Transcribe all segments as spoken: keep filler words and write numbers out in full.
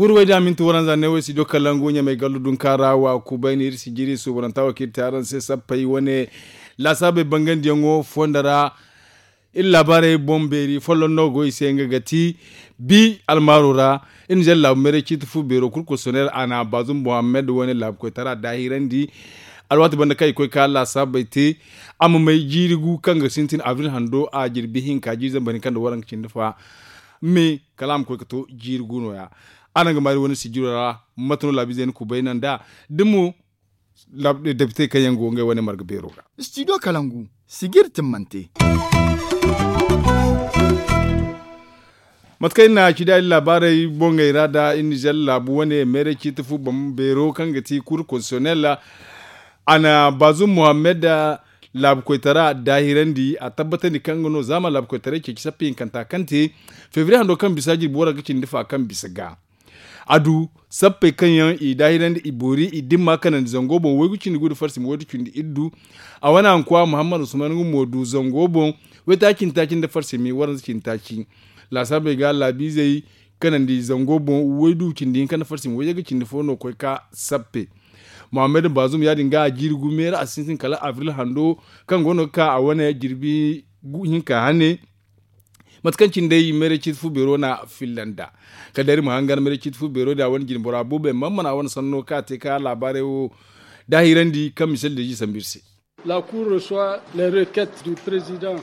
Kurwey da minti waranza ne wo studio kalangu ɲamey gallu dunka ra wa kubay no iri si jiri suubananta wo kaŋ iri te araŋ se sappey wane laasaabey bangandiyaŋo fonda ra. Iri laabaarey boŋ beeri folloŋ no go i se nga ga ti bi almaaro ra. Iri na zalla laabu meeray ciiti fu beero kulu kosonel a na baazum muhammad wane laabu koytara daahirandi. Alwaati banda kaŋ i koy ka laasaabey te a ma may jiiri gu kaŋ ga sintin abril hando a jirbi hinka jiiri zambar hinka nda waranka cindi fa. Me kala a ma koy ga to jiiri gu no- ya. Araŋ ga maari wane sijiro ra mate no laabiizey na kubay naŋ nd'a da mo depite kaŋ yaŋ go ngey wane marga beero ga. Studio kalangu sijiri timmante. Mate kaŋ iri na ci da iri laabaarey boŋey ra da iri nizer laabu wane meeray ciiti fu boŋ beero kaŋ ga ti kur konsiyonel. A na baazum muhammad laabu koytara daahirandi a tabbatandi kaŋ nga no zaama laabu koytaray ceeci sappa hinkanta kaŋ te febriye hando kaŋ bisa jirbi waranka cindi fa kaŋ bisa ga. A du sappey kaŋ yaŋ i daahirandi i boori i dimma kanandi zango boŋ waygu cindi gu nda farsi ma waydu cindi iddu. A wane hankuwa muhammad usman nga mo du zango boŋ waytaaci nda taaci nda farsi ma i waranza cindi taaci. Laasaabey ga laabiizey kanandi zango boŋ waydu cindi hinka nda farsi ma wayyaga cindi fo no koy ka sappe. Muhammad baazum ya- din ga a jiiri gu meera a si sintin kala abril hando kaŋ go no ga ka a wane jirbi hinka hane. Mate kaŋ cine day meeray ciiti fu beero na filla nd'a kala day iri ma hangan meeray ciiti fu beero din a wane jine bora buubey man mana a wane sanno kaŋ a te ka laabaarey wo daahirandi kaŋ misali deezi sambu iri se.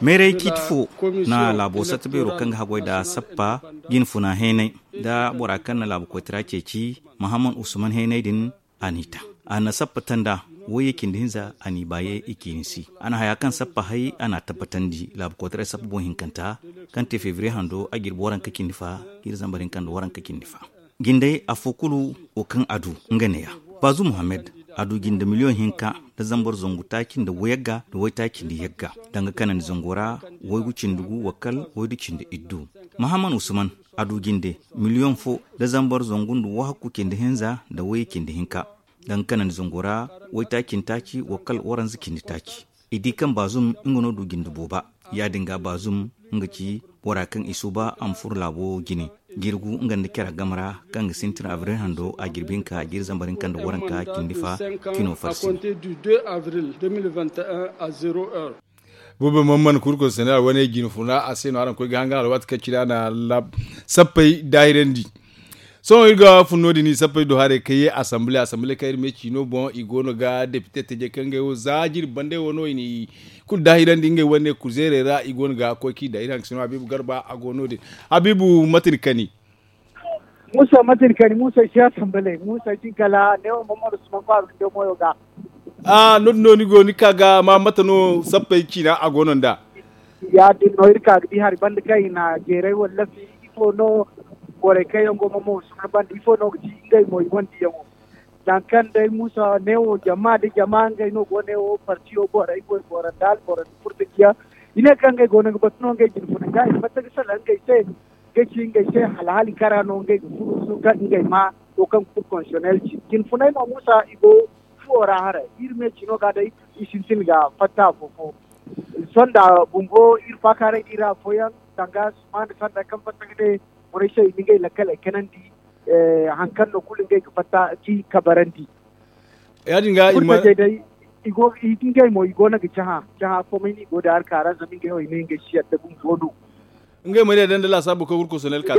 Meeray ciiti fo na laabo satta beero kaŋ ga haggoy nda sappa jine funa heenay nda bora kaŋ na laabu koytara ceeci mahamman usman heenay din. A n'i ta a na sappa tanda wayye cindi hinza a n'i baaye i ciini si. A na haya kaŋ sappa hay a n'a tabbatandi laabu koytaray sappa boŋ hinkanta kaŋ te febriye hando a jirbi waranka cindi fa jiiri zambar hinka nda waranka cindi fa. Jinday afo kulu wo kaŋ a du nga neeya. Baazu muhammad a du jinde miliyoŋ hinka nda zambar zangu taaci nda wayagga nda waytaaci nda yagga danga kanandi zango ra waygu cindi gu wa kala waydu cindi iddu. Mahamman usman a du jinde miliyoŋ fo nda zambar zangu nda wahakku cindi hinza nda wayye cindi hinka. Danga kanandi zango ra waytaaci nda taaci wa kala waranza cindi taaci. I di kaŋ baazum nga no du jinde booba. Ya- din ga baazum nga ci bora kaŋ i suuba a ma furo laabo jine jirgu nga nda care game ra kaŋ ga sintin abril hando a jirbi hinka jiiri zambar hinka nda waranka cindi fa cino farsi. Boobo man mana kurko sana'a wane jine funa a se no araŋ koy ga hangan alwaati kaŋ cine a na sappey daahirandi. Sohõ iri ga fun no- din i sappey do haray kaŋ ye assemble assemble kaŋ iri me ciino boŋ i go no ga depite teje kaŋ ngey wo za jiri bande wo no i na i kulu daahirandi ngey wane kuzeerey ra i go no ga koy kaŋ i daahirandi sino habiibu garba a go no- din. Habiibu mate ni kani? Muusa mate ni kani muusa ay si assemble muusa ay si kala neewo mamman usman kwaaro nda moyo ga. A no- din no ni go ni ka ga ma mate no sappey ciina a go no nd'a? Ya- din no iri ka ga di hari banda kaŋ i na jeeray wallafi ifo no borey kaŋ yaŋ go mamman usman banda ifo no ga ci ngey mo i gonda yaŋo. Nangu kaŋ day muusa neewo jama nda jama ngey no go neewo partiyo borey goy boro nda alboro nda furtajiyaŋ i ne kaŋ ngey go no ga batu no ngey jine funa ga i fatta ga salaŋ ngey se. Ga ci ngey se hala hala i kara no ngey ga furo suka ngey ma to kaŋ ga furo konsionel ci jine funay mo muusa i go fuwo ra haray iri me cino ga day i sintin ga fatta afo fo. Sonda bumbo iri faakaaray da iri afooyaŋ danga suma nda sanda kaŋ fatta ga ne borey se i na ngey lakkaley kanandi. Hari kaŋ no kulu ngey ga fatta ci kabarandi. Ya- din ga i ma day i go i ngey mo i go no ga cahã cahã fo may no i go da hari ka ra zama ngey wo i ne ngey si yadda bumbo no. Ngey ma yadda nda laasaabo kaŋ gurko sonel ka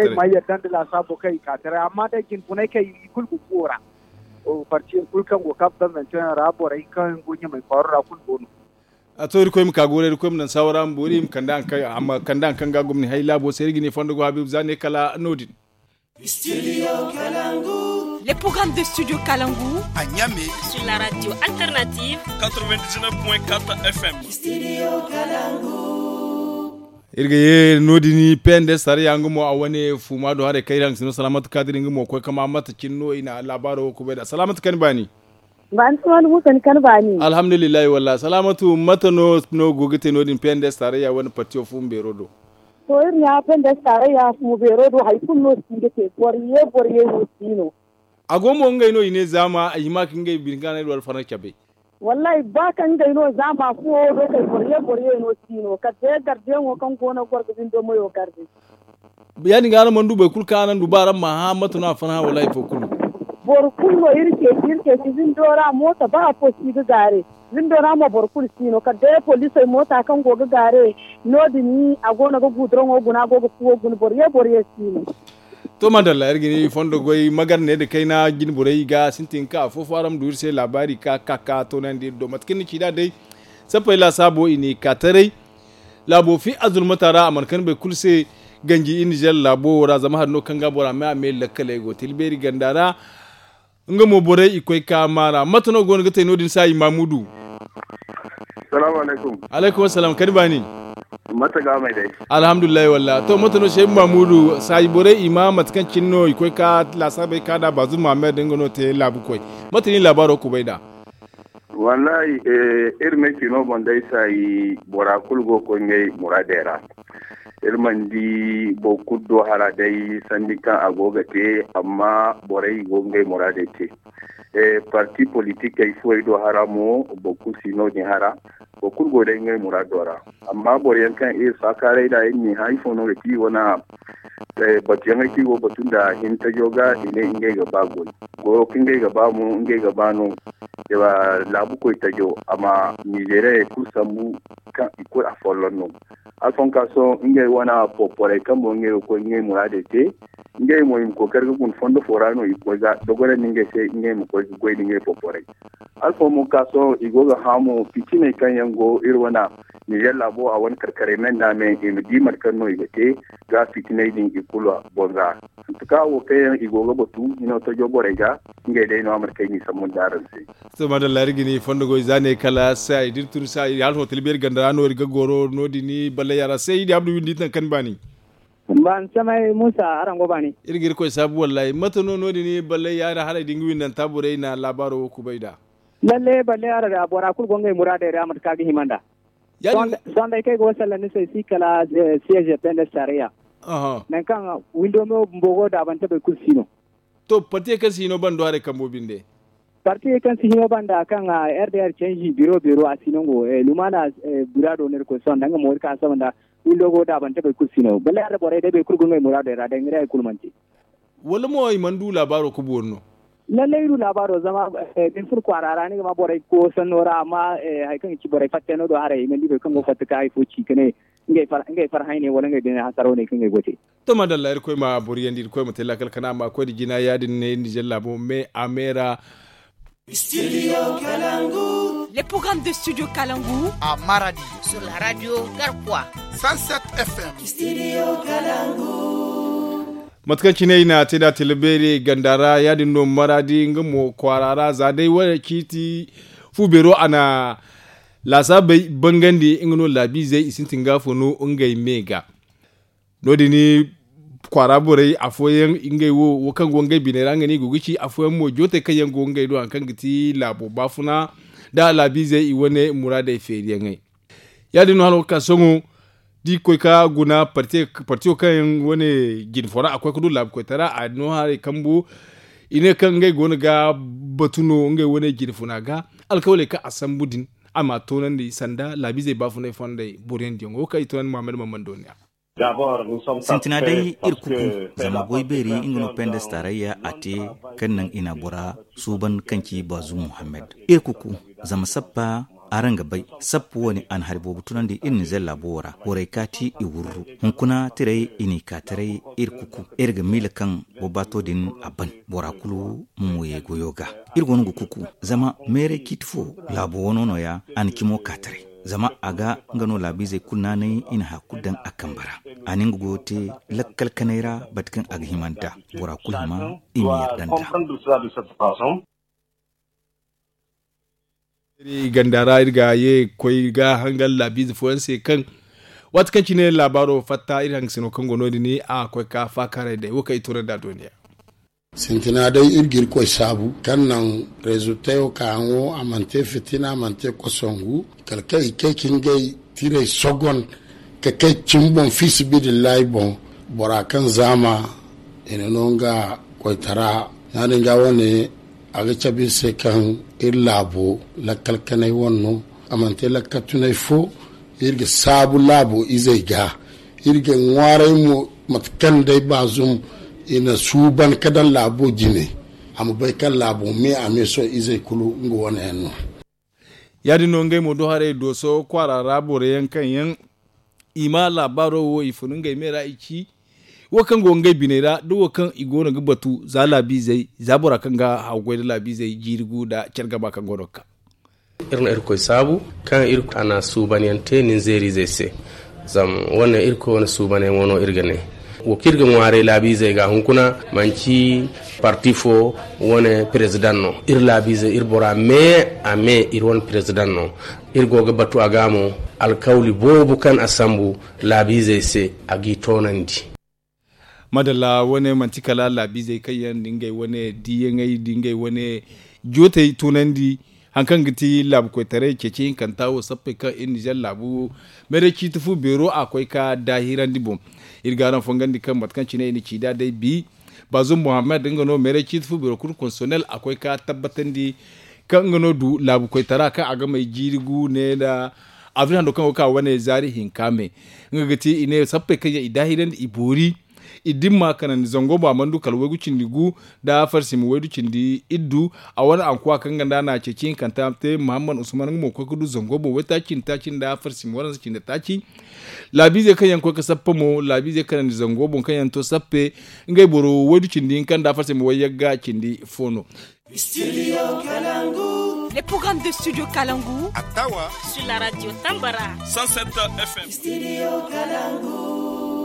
taray amma day jine funay kaŋ i kulu ga fuwo ra. Parti yaŋ kulu kaŋ go kaŋ bambanteyaŋ ra borey kaŋ go ɲamay kwaaro ra kulu go no. A to irkoy ma ka goray irkoy ma naŋ saawara ma boori i ma kande haŋ kaŋ ga gomni hay laabo se iri ga ne fondo go habiibu za ne kala no- din. Le programme de studio kalangu a ɲame sur la radio alternative. Quatre-vingt-dix-neuf point quatre f m. Iri ga ye no- din pnds tarayya nga mo a wane fuuma do haray kaŋ iri haŋ ga si no salaamatu kaadir nga mo koy kama mate cine no i na laabaaro wo kubay nd'a salaamatu kani baani. Baani suman muusa ni kani baani. Alhamdulillahi wallaahi salaamatu mate no no go ga te no- din pnds tarayya wane partiyo fuuma beero do. To iri ɲa pnds tarayya fuuma beero do hari kulu no si ga te boro ye boro ye no si no. A go mo ngey no i ne zaama ay hima ka ngey bine ga no ay du alfarna cabay. Wallaahi ba kaŋ ngey no zaama fuwo do kay boro ye boro ye no si no kala day gardiyaŋo kaŋ go no ga goro ga bindo mayo garde. Ya- din ga araŋ mana du boro kulu kaŋ araŋ du ba araŋ ma hã mate no a farhã wala hari fo kulu. Boro kulu no iri ceeci iri ceeci windo ra moota ba afo si ga gaare. Windo ra mo boro kulu si no kala day poliisey moota kaŋ go ga gaare. No- din a go no ga guduraŋo guna a go ga fuwo guna boro ye boro ye si no. To madalla iri ga ni fondo goy magar ne nda kayna jine borey ga sintin ka afo fo araŋ ma du iri se laabaari ka ka ka toonandi iri do mate kaŋ ni ci nd'a day. Sappey laasaabo i n'i ka taray. Laabo fi azulmata ra a mana kande boro kulu se. Ganji iri nizeer laabo wo ra zama hari no kaŋ ga bora me a me lakkaley go te iri beeri ganda ra. Nga mo borey i koy ka maara mate no go no ga te no- din saayi maamudu? Salaamu alaykum. Alaykum assalam kadi baani. Mate ga may day? Alhamdulillahi walla to mate no sheebu maamudu saayi borey i ma mate kaŋ cine no i koy ka laasaabey ka nd'a baazum maamed nga no te laabu koy. Mate no i laabaaro kubay nd'a? Wallahi, iri me cino boŋ day saayi bora kulu go ga koy ngey muraadey ra. Iri mana di boro kulu do hara day sanni kaŋ a go ga te. Amma borey go ga ngey muraadey te. Parti politikey fuwey do hara mo boro kulu si no- din hara. Boro kulu go day ngey muraado ra. Amma boro yaŋ kaŋ iri faakaaray nd'a iri n'i hã ifo no ga ti wane batuyaŋey kaŋ i go ga batu nda hintajo ga i ne ngey ga ba goy. Goyo kaŋ ngey ga ba mo ngey ga ba no. Laabu koytajo a ma nizeeriyey kulu sambu kaŋ i kulu afolloŋ no. Alfonso ngey wane poporey kaŋ mo ngey ga koy ngey muraadey te. Ngey mo i ma kookari ga guna fondo fo ra no i ga koy ga dogonandi ngey se ngey ma koy ga goy nda ngey poporey. Alfo mo ka sohõ i go ga hã mo fitiney kaŋ yaŋ go iri wane nizeer laabo a wane karkaray me nda me i ma di mate kaŋ no i ga te ga fitiney din i kulu boŋ ra. Hantuka wo kaŋ yaŋ i go ga batu hino tajo borey ga ngey day no a mate kaŋ i n'i sambu nda araŋ se. To madalla iri ga ni fondo goy za ne kala se ay da iri tun se ay hala hotel beeri ganda ra no iri ga goro no- din balley yaara se i di abdu windi iri naŋ kaŋ ni baani. Ban samay musa araŋ go baani. Iri ga irkoy saabu wallahi mate no no- din balley yaara haray da nga windanta borey na laabaaro wo kubay nd'a. Lalle balle ara da bora kulu go ngey muraadey ra mate kaŋ a ga hima nd'a. Sohõ day kaŋ ay go ga sallandi se si kala siyeeze pende sareya. Nangu kaŋ windo me wo bumbo go daabante boro kulu si no. To partiye kaŋ si hino bando haray kambo binde. Partiye kaŋ si hino banda kaŋ r d r canji biro biro a si no ngo lumaana. Bura do no iri koy sohõ nda nga mo iri ka saba nda windo go daabante boro kulu si no balle ara borey day boro kulu go ngey muraadey ra day nga day hari kulu mana te. Wala mo i mana du laabaaro ga boori no? Lallay iri du laabaaro zama da ni furo kwaara ra ni ga ma borey go sanno ra amma hari kaŋ ga ci borey fattey no do haray i mana di boro kaŋ go fatta ka hari fo ci ka ne ngey farhãy ne wala ngey bine hasaraw ne kaŋ ngey go te. To madalla irkoy ma boriyandi irkoy ma te laakal kana ma koy nda jina ya- din ne nizer laabo me a me ra. Studio kalangu. Les programmes de studio kalangu à Maradi sur la radio Garkwa cent sept F M. Studio kalangu. Mate kaŋ cine i na te da tila beeri ganda ra ya- din no Maradi nga mo kwaara ra za day wane ciiti fu beero a na laasaabey bangandi nga no laabiizey i sintin ga fo no ngey me ga. No- din kwaara borey afooyaŋ ngey wo wo kaŋ go ngey biney ra nga no i go ga ci afooyaŋ mo jootey kaŋ yaŋ go ngey do hari kaŋ ga ti laabo baafuna nda laabiizey i wane muraadey feeriyaŋey. Ya- din no hala wo ga ka sohõ da i ga koy ga guna partiyo kaŋ yaŋ wane jine fo ra a koy ga du laabu koytara a no haray kambu. I ne kaŋ ngey go no ga batu no ngey wane jine funa ga alkawaley kaŋ a sambu din a ma a toonandi sanda laabiizey baafunay fondey boriyaŋ diyaŋo wo kaŋ i toonandi muhammad mammando ne. Sintina day iri kuku zama goy beeri nga no pendes tarayya a te kaŋ naŋ i na bora suuban kaŋ ci bazu muhammad. Iri kuku zama sappa araŋ ga bay sappa wo- ne a na hari boobo tunandi iri nizer laabo wo ra borey kaati i wurru hunkuna tiray i n'i ka taray iri kuku iri ga miila kaŋ bobbaato din a ban bora kulu ma mo ye goyo ga. Iri go no ga kuku zama meeray ciiti fo laabo wano no- ya a na cimo ka taray. Zama a ga nga no laabiizey kulu naanay i na haya kulu daŋ a kambe ra. A na nga goyo te lakkal kanay ra bate kaŋ a ga hima nd'a bora kulu hima i ma yadda nd'a. Iri ganda ra iri ga ye ga koy ga hangan laabiize fooyaŋ se kaŋ waati kaŋ cine laabaaro fatta iri hangasino kaŋ go no- din a koy ka faakaaray day wo kaŋ i toonandi a dooniya. Sintina day iri ga irkoy saabu kaŋ naŋ rezultayo ka haŋo a mana te fitina a mana te kosongu kala kaŋ i kay ka ngey tiray sogon ka kay cimi boŋ fiisabilillahi boŋ. Bora kaŋ zaama i na no nga koytara. Yaadin ga wane a ga cabe iri se kaŋ iri laabo lakkal kanay wane no a mana te lakkal tunay fo. Iri ga saabu laabo izey ga iri ga ŋwaaray mo. Mate kaŋ day baazum i na suuban ka daŋ laabo jine, a ma bay kaŋ laabo me a me sohõ izey kulu nga wane yaŋ no. Ya- din no ngey mo do haray dooso kwaara ra boro yaŋ kaŋ yaŋ i ma laabaaro wo i fun ngey me ra i ci wo kaŋ go ngey biney ra da wo kaŋ i go no ga batu za laabiizey za bora kaŋ ga haw goy nda laabiizey jiiri gu nda care gaba kaŋ go no ga ka. Iri na irkoy saabu kaŋ a na suubanyaŋ te nin zeeriizey se. Zama wane irkoy wane suubanyaŋo no iri ga ne. Wo kaŋ iri ga ŋwaaray laabiizey ga hunkuna manci parti fo wane perezidaŋ no. Iri laabiizey iri bora me a me iri wane perezidaŋ no. Iri go ga batu a ga mo alkawli boobo kaŋ a sambu laabiizey se a g'i toonandi. Madalla wane manti kala laabiizey kaŋ yaŋ da ngey wane diiyaŋey da ngey wane jootey tunandi. Hari kaŋ ga ti laabu koytaray ceeci hinkanta wo sappey kaŋ iri nizer laabu meeray ciiti fu beero a koy ka daahirandi boŋ. Iri ga araŋ fongandi kaŋ mate kaŋ cine i na ci nd'a day bi baazum muhammad nga no meeray ciiti fu beero kulu konsonel a koy ka tabbatandi kaŋ nga no du laabu koytara kaŋ a ga may jiiri gu ne nda abril hando kaŋ go ga ka wane zaari hinka me. Nga ga ti i ne sappey kaŋ yaŋ i daahirandi i boori i dimma kanandi zango mo a mana du kala waygu cindi gu nda farsima waydu cindi iddu. A wane ankuwa kaŋ nga nda a na ceeci hinkanta te muhammad usman nga mo ga koy ga du zango boŋ waytaaci cindi taaci nda farsima waransa cindi taaci. Laabiizey kaŋ yaŋ ga koy ga sappa mo laabiizey kanandi zango boŋ kaŋ yaŋ to sappe ngey boro waydu cindi hinka nda farsima wayyagga cindi fo no. Studio Kalangu. Les programmes de Studio Kalangu. Attawa. Sur la radio Tambara. Cent sept F M. Studio Kalangu.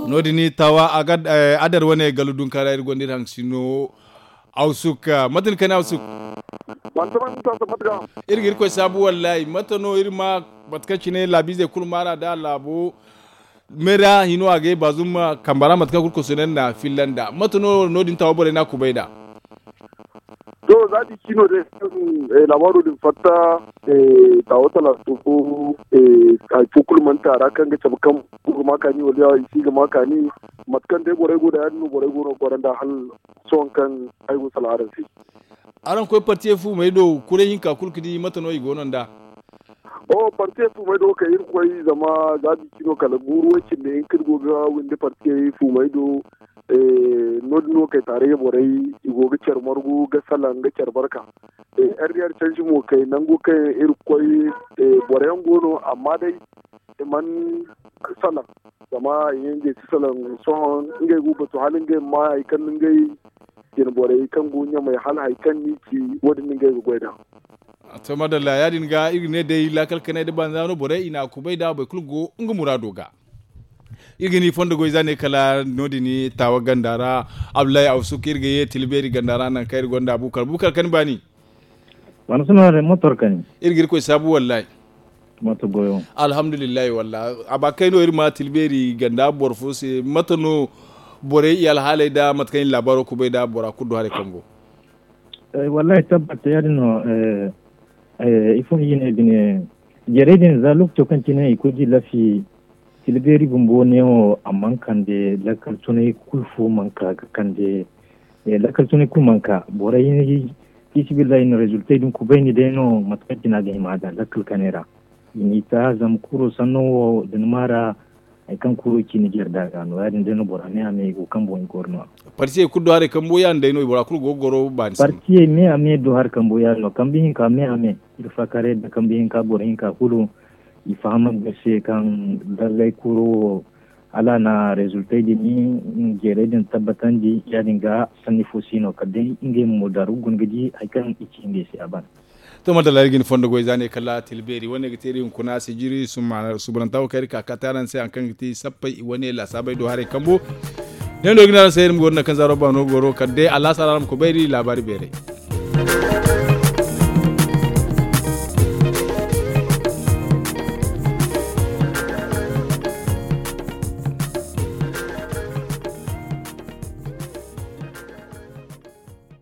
No- din tawa a ga adar wane galu dunkaara iri gonda iri haŋ sino. Awsuk mate ni kani awsuk. Iri ga iri koy saabu wallahi mate no iri ma mate kaŋ cine laabiizey kulu maara da laabo. Meera hino a ga ay baazum kamba ra mate kaŋ kulu konsonel na filla nd'a mate no no- din tawa borey no a kubay nd'a. To za di cino day kaŋ laabaaro din fatta, tawa talato fo hari fo kulu mana te a ra kaŋ ga cabe kaŋ boro ga ma kaani wala i si ga ma kaani. Mate kaŋ day borey go da ya- din no borey go no ga goro nd'a hala sohõ kaŋ ay go salaŋ araŋ se. Araŋ koy partiyey fuumey do kuray hinka kulu ga di mate no i go no nd'a? Oho partiyey fuumey do kay iri koy zama za di cino kala guuru way- cindi hinka iri go ga windi partiyey fuumey do. No- din no kay taarayya borey i go ga care margu ga salaŋ ga care barka. Rdr canji mo kay nango kaŋ iri ga koy boro yaŋ go no amma day i mana salaŋ. Zama i ne ngey si salaŋ sohõ ngey go ga batu hala ngey ma ma hari kaŋ no ngey jine borey kaŋ go ɲamey hala hari kaŋ no i ci wo- din no ngey ga goy nd'a. To madalla ya- din ga iri ga ne day laakal kanay nda banza no borey i na a kubay nd'a boro kulu go nga muraado ga. Iri ga ni fondo goy za ne kala no- din taawa ganda ra. Abdullahi awsuk iri ga ye tila beeri ganda ra nangu kaŋ iri gonda bukar bukar kaŋ ni baani. Wane suna da motor kaŋ ni. Iri ga irkoy saabu wallahi. Motor goyo. Alhamdulillahi wallahi a ba kay no iri ma tila beeri ganda boro fo se mate no borey i alhaaley nda mate kaŋ i na laabaaro kubay nda bora kulu du haray kambo. Wallahi tabbat ya- din no. Ifo no i ne bine jeerey din za lookaco kaŋ cine i koy ga i lafi. Tila beeri bumbo neewo a mana kande lakkal tunay kulu fo mana ka ga kande. Lakkal tunay kulu mana ka borey, fiisabilillahi i na rezultey din kubayni day no mate kaŋ cine a ga hima a daŋ lakkal kanay ra. I n'i ta zama kuro sanno wo da ni ma ra hari kaŋ kuro ci ni jeere da ga no ya- din day no bora me a me i go ga kambo i goro no. Partiyey kulu do haray kambo ya- din day no i bora kulu go ga goro baani sanno. Partiyey me a me do hari kambo ya- din no kambe hinka me a me. Iri faakaaray nda kambe hinka boro hinka kulu i faham ga se kaŋ dallay kuro wo hala a na rezultey din jeerey din tabbatandi ya- din ga sanni fo si no kala day ngey mo daaru ga guna ga di hari kaŋ i ci ngey se a ban. To madalla iri ga ni fondo goy za ne kala tila beeri wane ga te iri hunkuna sijiri suubananta wo kaŋ iri ka kaati araŋ se hari kaŋ ga ti sappey wane laasaabey do haray kambo. Ne no iri ga ne araŋ se iri ma goro naŋ kaŋ zaaro baano goro kala day alaasa ra araŋ ma koy bay iri laabaari beeray.